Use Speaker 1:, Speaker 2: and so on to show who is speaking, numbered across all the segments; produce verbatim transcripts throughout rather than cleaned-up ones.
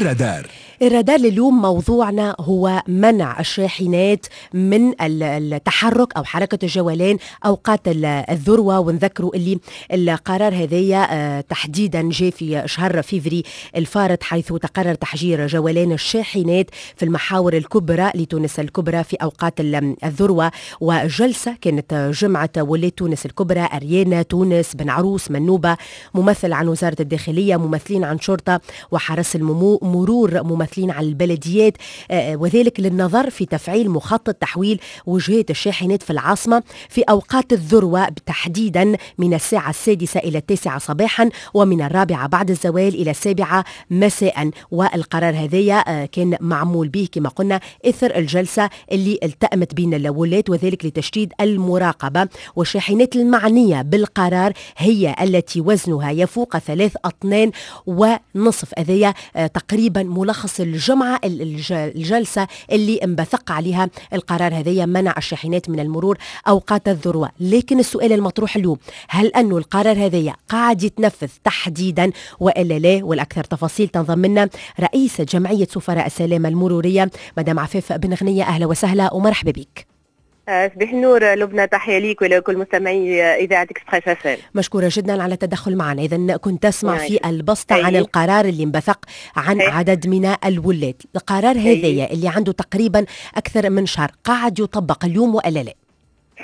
Speaker 1: الرادار.
Speaker 2: الرادار لليوم موضوعنا هو منع الشاحنات من التحرك أو حركة الجولان أوقات الذروة، ونذكروا اللي القرار هذايا آه، تحديدا جاء في شهر فيفري الفارط، حيث تقرر تحجير جولان الشاحنات في المحاور الكبرى لتونس الكبرى في أوقات الذروة. وجلسة كانت جمعة ولاة تونس الكبرى، أريانا، تونس، بن عروس، منوبة، ممثل عن وزارة الداخلية، ممثلين عن شرطة وحرس المرور، ممثلين عن البلديات، آه، وذلك للنظر في تفعيل مخطط تحويل وجهات الشاحنات في العاصمة في أوقات الذروة، تحديدا من الساعة السادسة إلى التاسعة صباحا ومن الرابعة بعد الزوال إلى السابعة مساء. والقرار هذايا آه، كان معمول به كما قلنا إثر الجلسة اللي التأمت بين الولاة، وذلك لتشديد المراقبة. والشاحنات المعنية بالقرار هي التي وزنها يفوق ثلاث أطنان ونصف. هذايا آه، تقريبا ملخص الجمعة الجلسة اللي انبثق عليها القرار هذايا، منع الشاحنات من المرور أوقات الذروة. لكن السؤال المطروح اليوم، هل أنه القرار هذايا قاعد يتنفذ تحديدا وإلا لا؟ والأكثر تفاصيل تنضم لنا رئيسة جمعية سفراء السلامة المرورية مدام عفاف بن غنية. أهلا وسهلا ومرحبا بك.
Speaker 3: صباح النور لبنى، تحية ليك ولكل مستمعي اذاعة Express FM.
Speaker 2: مشكورة جدا على التدخل معنا. اذا كنت تسمع في البسطه عن القرار اللي انبثق عن أي. عدد من الولاة، القرار هذايا اللي عنده تقريبا اكثر من شهر قاعد يطبق اليوم والا لا؟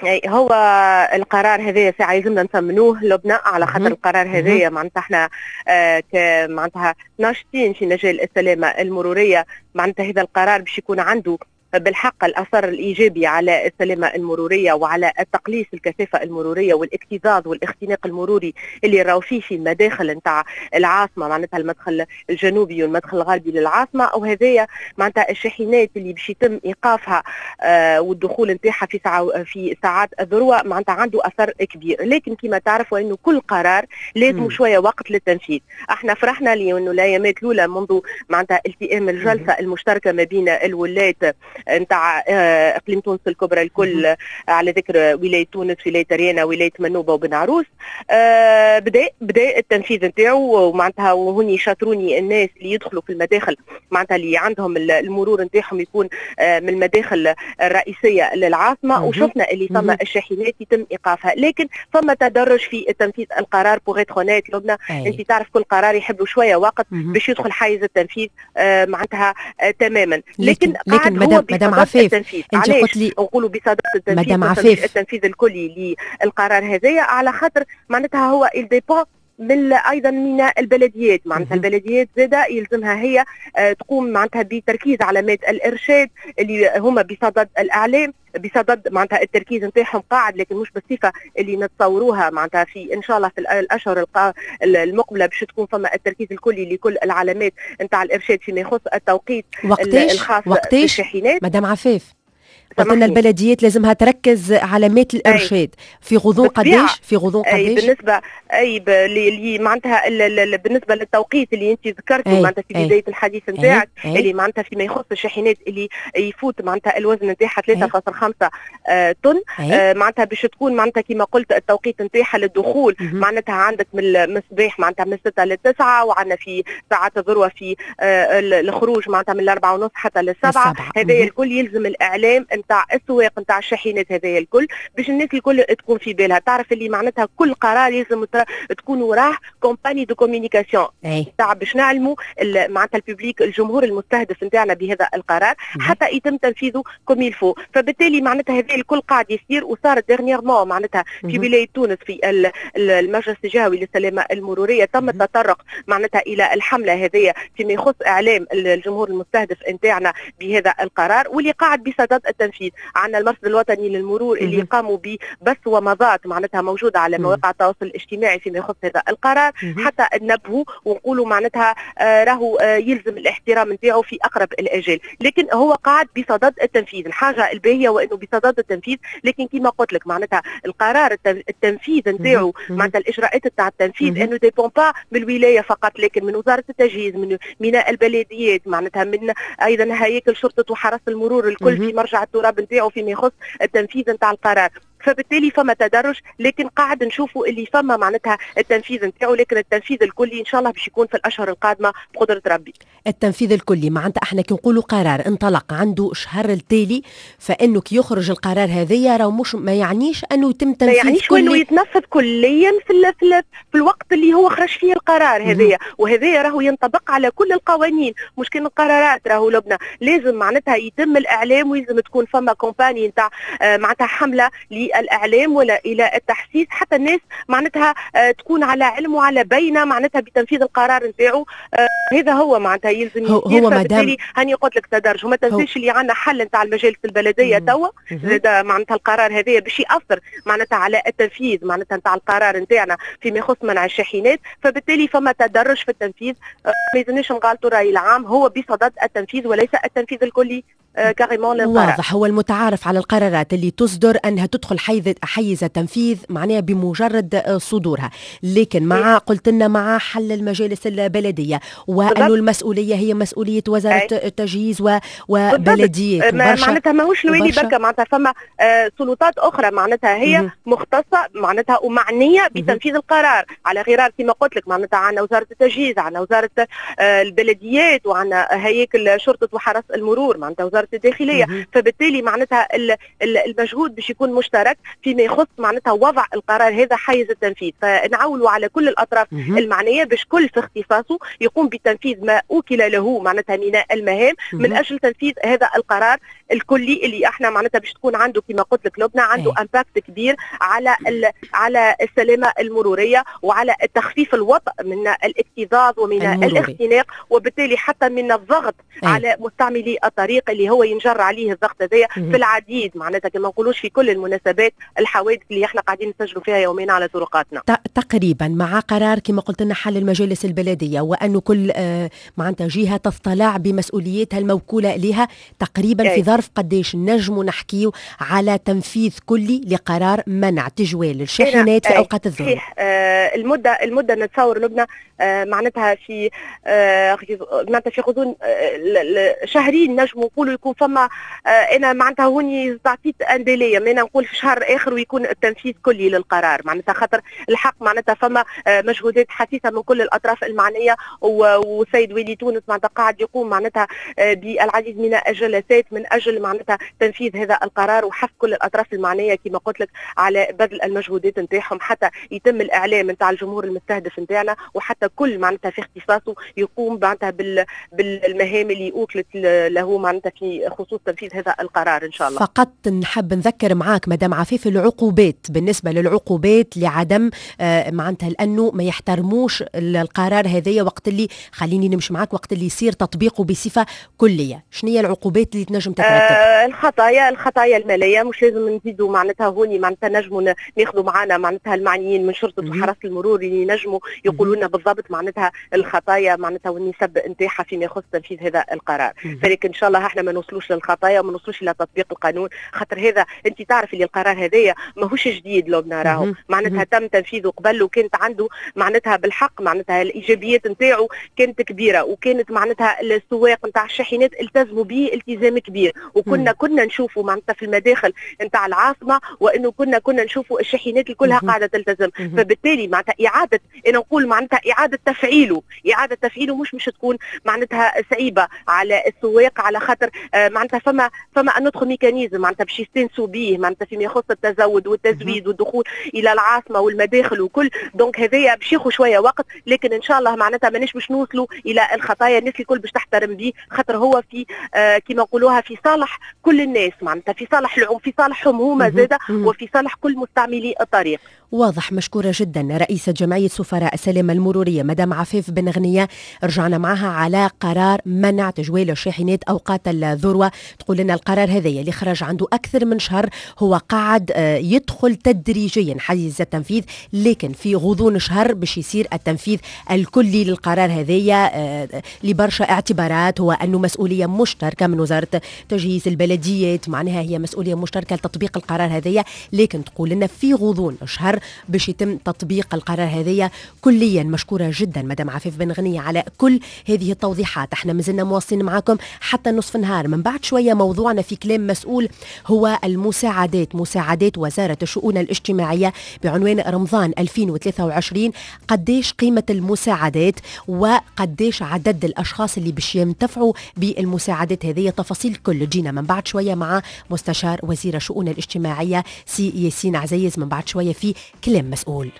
Speaker 3: أي، هو القرار هذايا ساعة يلزمنا نثمنوه لبنى، على خاطر القرار هذايا معناتها احنا آه معناتها ناشطين في مجال السلامة المرورية، معناتها هذا القرار باش يكون عنده بالحق الاثر الايجابي على السلامة المرورية وعلى التقليص الكثافة المرورية والاكتظاظ والاختناق المروري اللي راهو فيه في المداخل نتاع العاصمه، معناتها المدخل الجنوبي والمدخل الغربي للعاصمه. وهذايا معناتها الشاحنات اللي باش يتم ايقافها آه والدخول نتاعها في ساعة في ساعات الذروة معناتها عنده اثر كبير. لكن كما تعرفوا انه كل قرار لازم شوية وقت للتنفيذ. احنا فرحنا لانه الايامات الاولى منذ معناتها التئام الجلسة المشتركة ما بين الولاة نتاع آه، اقليم تونس الكبرى الكل، على ذكر ولاية تونس، ولاية اريانا، ولاية منوبه وبن عروس، آه، بدا بدا التنفيذ نتاعو. ومعناتها وهوني شاطروني الناس اللي يدخلوا في المداخل، معناتها اللي عندهم المرور نتاعهم يكون آه، من المداخل الرئيسية للعاصمه، وشفنا اللي ثم الشاحنات يتم ايقافها، لكن ثم تدرج في تنفيذ القرار. pour être honnête لبنى، انت تعرف كل قرار يحب شوية وقت باش يدخل حيز التنفيذ معناتها تماما.
Speaker 2: لكن لكن مدام مدام عفاف،
Speaker 3: انت قلت لي نقولوا بصدد التنفيذ، مدام عفاف، التنفيذ الكلي للقرار هذايا، على خاطر معناتها هو il dépend من ايضا من البلديات، معناتها البلديات زاده يلزمها هي آه، تقوم معناتها بتركيز علامات الارشاد اللي هما بصدد الاعلام، بصدد معناتها التركيز نتاعهم قاعد، لكن مش بالصفة اللي نتصوروها. معناتها في ان شاء الله في الاشهر المقبلة باش تكون فما التركيز الكلي لكل العلامات نتاع الارشاد فيما يخص التوقيت
Speaker 2: وقتاش
Speaker 3: الخاص
Speaker 2: وقتاش
Speaker 3: بالشاحنات.
Speaker 2: مدام عفاف، قلت لنا البلديات لازمها تركز علامات الارشاد في غضون قداش؟ في غضون قداش؟
Speaker 3: أي بالنسبة اي اللي معناتها بالنسبة للتوقيت اللي انت ذكرته معناتها في بداية الحديث نتاعك، اللي معناتها فيما يخص الشاحنات اللي يفوت معناتها الوزن نتاعها ثلاثة فاصل خمسة آه، طن، آه، معناتها باش تكون معناتها كما قلت التوقيت نتاعها للدخول معناتها عندك من الصباح معناتها من ستة لل تسعة، وعندنا في ساعات الذروة في آه، الخروج معناتها من الأربعة ونص حتى للسبعة. هذا الكل يلزم الاعلام نتاع السواق نتاع الشاحنات هذايا الكل باش الناس الكل تكون في بالها، تعرف اللي معناتها كل قرار يلزم تكون وراه campagne de communication تاع باش نعلموا معناتها ال public، الجمهور المستهدف نتاعنا بهذا القرار حتى يتم تنفيذه comme il faut. فبالتالي معناتها هذا الكل قاعد يصير، وصار dernièrement معناتها في ولاية تونس في المجلس الجهوي للسلامة المرورية تم التطرق معناتها الى الحملة هذه فيما يخص اعلام الجمهور المستهدف نتاعنا بهذا القرار واللي قاعد بصدد التنفيذ. عندنا المرصد الوطني للمرور اللي قاموا ببث ومضات معناتها موجودة على مواقع التواصل الاجتماعي فيما يخص هذا القرار، حتى ننبهوا ونقولوا معناتها آه راهو آه يلزم الاحترام نتاعو في اقرب الاجال. لكن هو قاعد بصدد التنفيذ. الحاجة الباهيه وانه بصدد التنفيذ، لكن كما قلت لك معناتها القرار التنفيذ نتاعو، معناتها الاجراءات تاع التنفيذ انه dépend pas من الولاية فقط، لكن من وزارة التجهيز، من من البلديات، معناتها من ايضا هياكل شرطه وحرس المرور الكل في مرجع التراب نتاعو فيما يخص التنفيذ نتاع القرار. فبالتالي فما تدرج، لكن قاعد نشوفوا اللي فما معناتها التنفيذ نتاعو، لكن التنفيذ الكلي ان شاء الله باش يكون في الاشهر القادمة بقدره ربي.
Speaker 2: التنفيذ الكلي معناتها احنا كي نقولوا قرار انطلق عنده شهر التالي، فانه كي يخرج القرار هذايا راهو مش ما يعنيش انه يتم تنفيذ
Speaker 3: ما يعنيش انه يتنفذ كليا في ال في, ال في الوقت اللي هو خرج فيه القرار هذايا، وهذايا راهو ينطبق على كل القوانين مش كان القرارات. راهو لبنى لازم معناتها يتم الاعلام، ويلزم تكون فما campagne نتاع آه، معناتها حمله للاعلام ولا الى التحسيس حتى الناس معناتها آه، تكون على علم وعلى بينه معناتها بتنفيذ القرار نتاعو. آه، هذا هو معناتها يلزم
Speaker 2: هو, هو مادام
Speaker 3: هاني قلت لك تدرج، وما تنساش اللي عندنا حل نتاع المجالس البلدية توا زاد معناتها القرار هذايا باش ياثر معناتها على التنفيذ معناتها نتاع القرار نتاعنا فيما يخص منع الشاحنات، فبالتالي فما تدرج في التنفيذ. ما يلزمناش نغالطوا الراي العام، هو بصدد التنفيذ وليس التنفيذ الكلي carrément
Speaker 2: للقرار. واضح، هو المتعارف على القرارات اللي تصدر انها تدخل حيز حيز التنفيذ معناها بمجرد صدورها، لكن مع قلت لنا مع حل المجالس البلدية وانه المسؤولية هي مسؤولية وزارة التجهيز وبلديات.
Speaker 3: معناتها ماهوش الوالي بركة، معناتها فما آه سلطات اخرى معناتها هي مختصة معناتها ومعنيه بتنفيذ القرار، على غرار كما قلت لك معناتها عندنا وزارة التجهيز، عندنا وزارة آه البلديات، وعندنا هياكل شرطه وحرس المرور، معناتها وزارة الداخلية. فبالتالي معناتها المجهود باش يكون مشترك فيما يخص معناتها وضع القرار هذا حيز التنفيذ، فنعولوا على كل الاطراف المعنية باش كل في اختصاصه يقوم بتنفيذ ما اوكل له معناتها من المهام من اجل تنفيذ هذا القرار الكلي اللي احنا معناتها باش تكون عنده كما قلت لك لبنى عنده impact كبير على على السلامة المرورية وعلى التخفيف الوطأ من الاكتظاظ ومن المروري. الاختناق، وبالتالي حتى من الضغط أي. على مستعملي الطريق اللي هو ينجر عليه الضغط هذايا في العديد معناتها كما نقولوش في كل المناسبات الحوادث اللي احنا قاعدين نسجلوا فيها يوميا على طرقاتنا.
Speaker 2: تقريبا مع قرار كما قلت لنا حل المجالس البلدية وانه كل آه معناتها جهة تضطلع بمسؤوليتها الموكوله لها، تقريبا أي. في ظرف قديش نجموا نحكيو على تنفيذ كلي لقرار منع تجوال الشاحنات في اوقات الذروة؟
Speaker 3: صحيح، آه المدة المدة نتصور لبنى آه معناتها في آه معناتها في غضون آه شهرين نجموا نقولوا يكون فما آه انا معناتها هوني تعطيت un délai، انا نقول في شهر اخر ويكون التنفيذ كلي للقرار، معناتها خاطر الحق معناتها فما آه مجهودات حثيثه من كل الاطراف المعنية، والسيد والي تونس معناتها قاعد يقوم معناتها آه بالعديد من الجلسات من اجل معناتها تنفيذ هذا القرار وحث كل الاطراف المعنية كما قلت لك على بذل المجهودات نتاعهم حتى يتم الاعلام نتاع الجمهور المستهدف نتاعنا، وحتى كل معناتها في اختصاصه يقوم معناتها بال بالمهام اللي اوكلت له معناتها في خصوص تنفيذ هذا القرار ان شاء الله.
Speaker 2: فقط نحب نذكر معاك مدام عفيف العقوبات، بالنسبة للعقوبات لعدم آه معناتها لانه ما يحترموش القرار هذايا وقت اللي خليني نمشي معاك وقت اللي يصير تطبيقه بصفة كليه، شنو هي العقوبات اللي تنجم تترتب؟
Speaker 3: آه الخطايا الخطايا المالية مش لازم نزيدوا معناتها هوني معناتها نجموا ناخذوا معانا معناتها المعنيين من شرطه وحرس المرور اللي ينجموا يقولوا لنا بالضبط معناتها الخطايا معناتها والنسب نتاعها فيما يخص تنفيذ هذا القرار. فلكن ان شاء الله احنا ما نوصلوش للخطايا وما نوصلوش الى تطبيق القانون، خاطر هذا انت تعرف اللي القرار هذايا ماهوش جديد لبنى، راهو معناتها تم تنفيذه قبل وكانت عنده معناتها بالحق معناتها الايجابيات نتاعو كانت كبيرة، وكانت معناتها السواق نتاع الشاحنات التزموا به التزام كبير، وكنا كنا نشوفوا معناتها في المداخل نتاع العاصمة وانه كنا كنا نشوفوا الشاحنات كلها قاعدة تلتزم. فبالتالي معناتها اعاده انا نقول معناتها اعاده تفعيله اعاده تفعيله مش مش تكون معناتها صعيبة على السواق، على خاطر معناتها فما فما un autre mécanisme معناتها باش يستنسوا به معناتها فيما يخص التزود والتزويد والدخول الى العاصمة والمداخل وكل، donc هذايا باش ياخذ شوية وقت، لكن ان شاء الله معناتها مانيش باش نوصلوا الى الخطايا، الناس الكل باش تحترم به، خاطر هو في آه كما نقولوها في صالح كل الناس معناتها في صالح العم في صالحهم هما زاده وفي صالح كل مستعملي الطريق.
Speaker 2: واضح، مشكورة جدا رئيسة جمعية سفراء السلامة المرورية مدام عفاف بن غنية، رجعنا معها على قرار منع تجوال الشاحنات أوقات الذروة. تقول لنا القرار هذا اللي خرج عنده أكثر من شهر هو قاعد يدخل تدريجيا حيز التنفيذ، لكن في غضون شهر باش يصير التنفيذ الكلي للقرار هذايا لبرشا اعتبارات، هو أنه مسؤولية مشتركة من وزارة تجهيز البلديات، معناها هي مسؤولية مشتركة لتطبيق القرار هذايا، لكن تقول لنا في غضون شهر باش يتم تطبيق القرار هذايا كليا. مشكورة جدا مدام عفاف بن غنية على كل هذه التوضيحات. احنا مازلنا مواصلين معاكم حتى نصف النهار. من بعد شوية موضوعنا في كلام مسؤول هو المساعدات، مساعدات وزارة الشؤون الاجتماعية بعنوان رمضان ألفين وثلاثة وعشرين، قديش قيمة المساعدات وقديش عدد الأشخاص اللي باش ينتفعوا بالمساعدات هذه. تفاصيل كل جينا من بعد شوية مع مستشار وزير الشؤون الاجتماعية سي ياسين عزيز، من بعد شوية في كلام مسؤول.